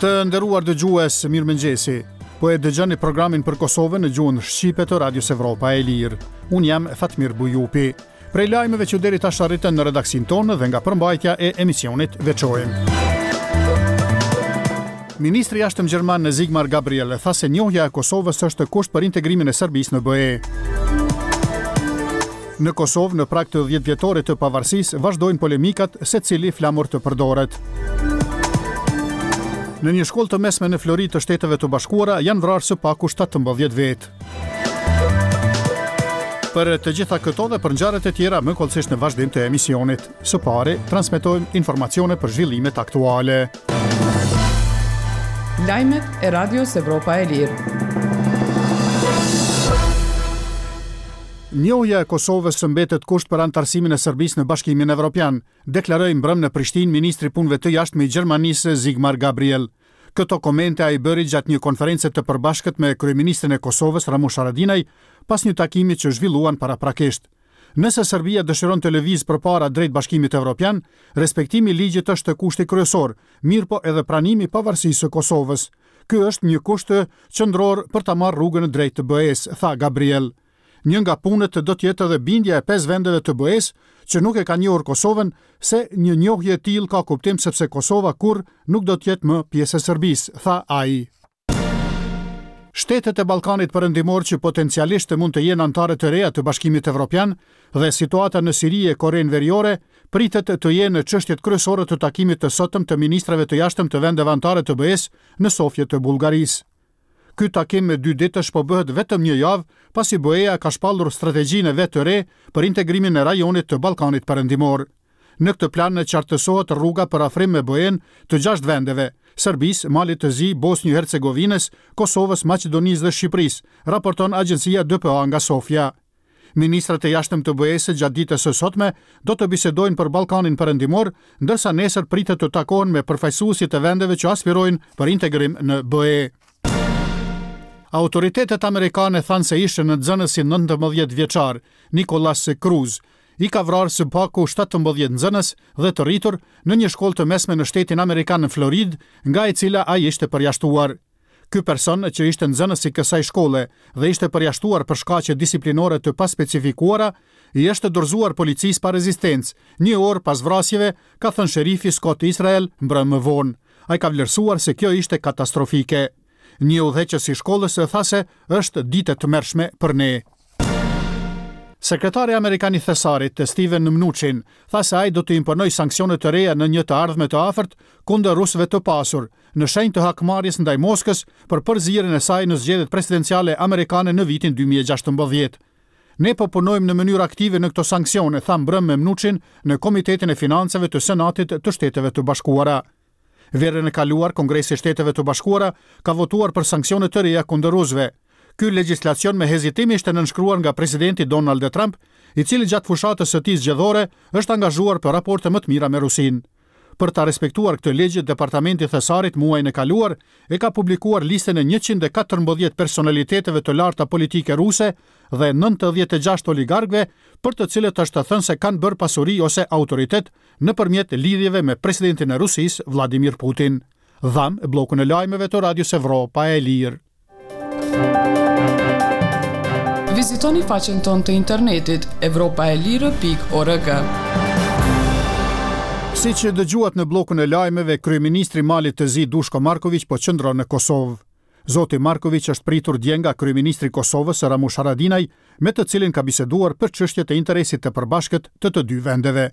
Të nderuar dëgjues, mirëmëngjesi. Po e dëgjoni programin për Kosovën në gjuhën shqipe të Radios Evropa e Lirë. Unë jam Fatmir Bujupi. Prej lajmeve që deri tash arritën në redaksinë tonë dhe nga përmbajtja e emisionit veçojmë. Ministri i Jashtëm gjerman Sigmar Gabriel tha se njohja e Kosovës është kusht për integrimin e Serbisë në BE. Në Kosovë, në prag të 10 vjetorit të pavarësisë, vazhdojnë polemikat se cili flamur të përdoret. Në një shkollë të mesme në Floridë të Shteteve të Bashkuara janë vrarë së paku 17 vetë. Për të gjitha këto dhe për ngjarjet e tjera më hollësisht në vazhdim të emisionit. Së pari, transmetojmë informacione për zhvillimet aktuale. Lajmet e Radios Evropa e Lirë. Njohja e Kosovës mbetet kusht për anëtarësimin e Serbisë në Bashkimin Evropian, deklaroi mbrëmë në Prishtinë ministri i Punëve të Jashtme i Gjermanisë Sigmar Gabriel. Këto komente ai bëri gjatë një konference të përbashkët me kryeministrin e Kosovës, Ramush Haradinaj, pas një takimi që zhvilluan paraprakisht. Nëse Serbia dëshiron të lëvizë përpara drejt Bashkimit Evropian, respektimi i ligjit është kushti kryesor, mirëpo edhe pranimi i pavarësisë së Kosovës. Ky është një kusht qendror për ta marrë rrugën drejt BE-së, tha Gabriel. Një nga punët do të jetë edhe bindja e pesë vendeve të BE-së që nuk e kanë njohur Kosovën se një njohje e tillë ka kuptim sepse Kosova kurrë nuk do të jetë më pjesë e Serbisë, tha ai. Shtetet e Ballkanit Perëndimor që potencialisht mund të jenë anëtare të reja të Bashkimit Evropian dhe situata në Siri e Korenë Veriore pritet të jenë çështjet kryesore të takimit të sotëm të ministrave të jashtëm të vendeve anëtare të BE-së në Sofje të Bullgarisë. Ky takim dyditësh po bëhet vetëm një javë pasi BE-ja ka shpallur strategjinë e vet të re për integrimin e rajonit të Ballkanit Perëndimor. Në këtë plan qartësohet rruga për afrim me BE-në të gjashtë vendeve, Serbisë, Malit të Zi, Bosnjë Hercegovinës, Kosovës, Maqedonisë dhe Shqipërisë, raporton agjencia DPA nga Sofja. Ministrat e Jashtëm të BE-së gjatë ditës së sotme do të bisedojnë për Ballkanin Perëndimor, ndërsa nesër pritet të takohen me përfaqësuesit e vendeve që aspirojnë për integrim në BE. Autoritetet amerikane thanë se ish nxënësi 19 vjeçar, Nikolas Cruz, i ka vrarë së paku 17 nxënës dhe të rritur në një shkollë të mesme në shtetin amerikan në Floridë, nga e cila ai ishte përjashtuar. Ky person që ishte nxënës i kësaj shkolle dhe ishte përjashtuar për shkaqe disiplinore të paspecifikuara, i është dorëzuar policisë pa rezistencë, një orë pas vrasjeve, ka thënë sherifi Scott Israel mbrëmë më vonë. Ai ka vlerësuar se kjo ishte katastrofike. Një udhëheqës i shkollës tha se është ditë e tmerrshme për ne. Sekretari amerikan i Thesarit, Steven Mnuchin, tha se ai do të imponojë sanksione të reja në një të ardhme të afërt kundër rusëve të pasur, në shenjë të hakmarrjes ndaj Moskës për përzierjen e saj në zgjedhjet presidenciale amerikane në vitin 2016. Ne po punojmë në mënyrë aktive në këto sanksione, tha mbrëmë Mnuchin në Komitetin e Financave të Senatit të Shteteve të Bashkuara. Verën e kaluar, Kongresi i Shteteve të Bashkuara ka votuar për sanksione të reja kundër rusëve. Ky legjislacion me hezitim ishte nënshkruar nga presidenti Donald Trump, i cili gjatë fushatës së tij zgjedhore është angazhuar për raporte më të mira me Rusinë. Për ta respektuar këtë ligj, Departamenti i Thesarit muajin e kaluar e ka publikuar listën e 114 personaliteteve të larta politike ruse dhe 96 oligarkëve, për të cilët është thënë se kanë bërë pasuri ose autoritet nëpërmjet lidhjeve me presidentin e Rusisë, Vladimir Putin. Dhamë bllokun e lajmeve të Radios Evropa e Lirë. Vizitoni faqen tonë të internetit evropaelire.org. Siç dëgjuat në bllokun e lajmeve, kryeministri i Malit të Zi Dushko Markoviq po qëndron në Kosovë. Zoti Markoviq është pritur dje nga kryeministri i Kosovës, Ramush Haradinaj, me të cilin ka biseduar për çështjet e interesit të përbashkët të të dy vendeve.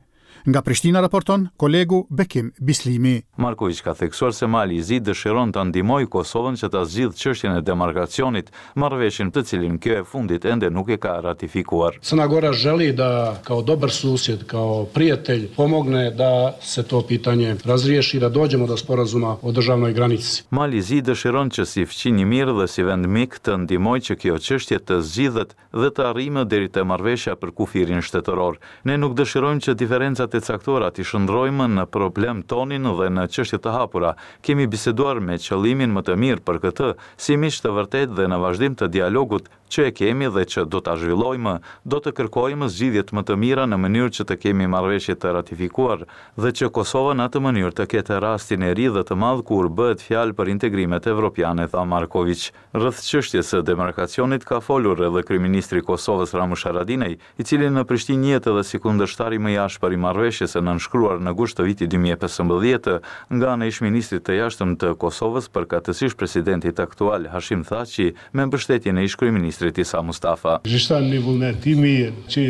Nga Prishtina raporton kolegu Bekim Bislimi. Markoviq ka theksuar se Mali i Zi dëshiron ta ndihmojë Kosovën që ta zgjidhë çështjen e demarkacionit, marrëveshjen të cilin kjo e fundit ende nuk e ka ratifikuar. Crna Gora želi da kao dobar susjed, kao prijatelj pomogne da se to pitanje razriješi i da dođemo do sporazuma o državnoj granici. Mali i Zi dëshiron që si fqinj i mirë dhe si vend mik të ndihmojë që kjo çështje të zgjidhet dhe të arrijmë deri te marrëveshja për kufirin shtetëror. Ne nuk dëshirojmë që diferencat e caktuara t'i shndërrojmë në problem tonin dhe në çështje të hapura. Kemi biseduar me qëllimin më të mirë për këtë, si miq të vërtetë dhe në vazhdim të dialogut. Që e kemi dhe që do ta zhvillojmë, do të kërkojmë zgjidhjet më të mira në mënyrë që të kemi marrëveshje të ratifikuar dhe që Kosova në atë mënyrë të ketë rastin e ri dhe të madh kur bëhet fjalë për integrimet evropiane, tha Markoviq. Rreth çështjes së demarkacionit ka folur edhe kryeministri i Kosovës Ramush Haradinaj, i cili në Prishtinë njihet edhe si kundërshtari më i ashpër i marrëveshjes së nënshkruar në gusht të vitit 2015 nga ana e ish-ministrit të Jashtëm të Kosovës, përkatësisht presidentit aktual Hashim Thaçi, me mbështetjen e ish-kryeministrit Isa Mustafa. Ekziston një vullnet i mirë që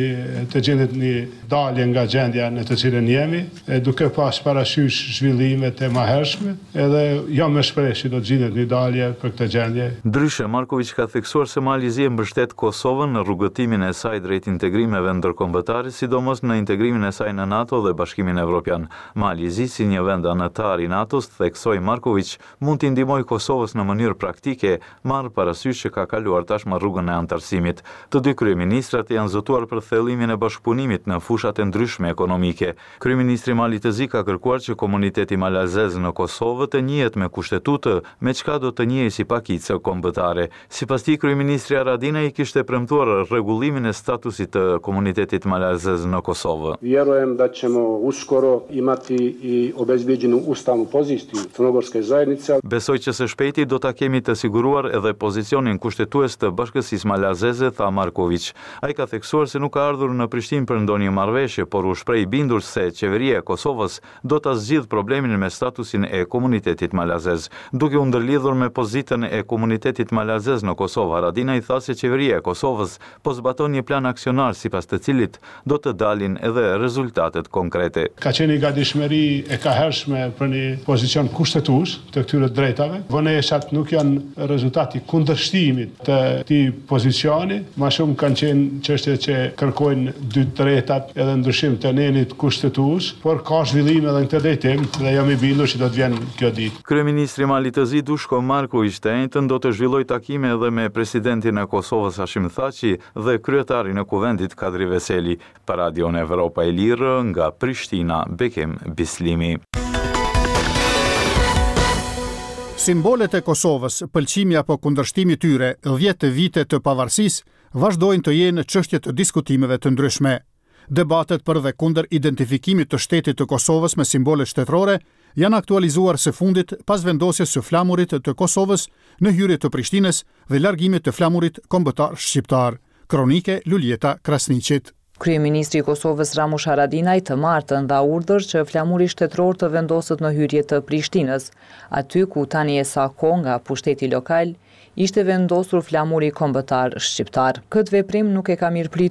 të gjendet një dalje nga gjendja në të cilën jemi, e duke pas parasysh zhvillimet e mahershme, edhe jam me shpresë që do të gjendet një dalje për këtë gjendje. Ndryshe, Markoviq ka theksuar se Mali i Zi e mbështet Kosovën në rrugëtimin e saj drejt integrimeve ndërkombëtare, sidomos në integrimin e saj në NATO dhe Bashkimin Evropian. Mali i Zi, si një vend anëtar i NATO-s, theksoi Markoviq, mund t'i ndihmojë Kosovës në mënyrë praktike, marrë parasysh që ka kaluar tashmë rrugën e anëtarësimit. Të dy kryeministrat janë zotuar për thellimin e bashkëpunimit në fushat e ndryshme ekonomike. Kryeministri i Malit të Zi ka kërkuar që komuniteti malazez në Kosovë të njihet me kushtetutë, me çka do të njihej si pakicë kombëtare. Sipas tij, kryeministri Haradinaj i kishte premtuar rregullimin e statusit të komunitetit malazez në Kosovë. Vjerujem da ćemo uskoro imati i obezbijeđenu ustavnu poziciju crnogorske zajednice. Besoj që së shpejti do ta kemi të siguruar edhe pozicionin kushtetues të bashkësisë malazeze, tha Markoviq. Ai ka theksuar se nuk ka ardhur në Prishtinë për ndonjë marrëveshje, por u shpreh i bindur se Qeveria e Kosovës do ta zgjidhë problemin me statusin e komunitetit malazez. Duke u ndërlidhur me pozitën e komunitetit malazez në Kosovë, Haradinaj tha se Qeveria e Kosovës po zbaton një plan aksionar sipas të cilit do të dalin edhe rezultatet konkrete. Ka qenë një gatishmëri e kahershme për një pozicion kushtetues të këtyre të drejtave. Vonesat nuk janë rezultat i kundërshtimit të këtij pozicioni, ma shumë kanë qenë çështje që kërkojnë dy të tretat edhe ndryshim të nenit kushtetues, por ka zhvillime edhe në këtë drejtim dhe jam i bindur që do të vjen kjo ditë. Kryeministri i Malit të Zi, Dushko Markoviq, të enjten do të zhvillojë takime edhe me presidentin e Kosovës, Hashim Thaçi, dhe kryetarin e Kuvendit, Kadri Veseli. Për Radion Evropa e Lirë, nga Prishtina, Bekim Bislimi. Simbolet e Kosovës, pëlqimi apo kundërshtimi i tyre, 10 vite të pavarësisë, vazhdojnë të jenë çështje të diskutimeve të ndryshme. Debatet për dhe kundër identifikimit të shtetit të Kosovës me simbolet shtetërore janë aktualizuar së fundit pas vendosjes së flamurit të Kosovës në hyrje të Prishtinës dhe largimit të flamurit kombëtar shqiptar. Kronikë e Luljeta Krasniqit. Kryeministri i Kosovës Ramush Haradinaj të martën dha urdhër që flamuri shtetëror të vendoset në hyrje të Prishtinës, aty ku tani e sa kohë nga pushteti lokal ishte vendosur flamuri kombëtar shqiptar. Këtë veprim nuk e ka mirëpritur.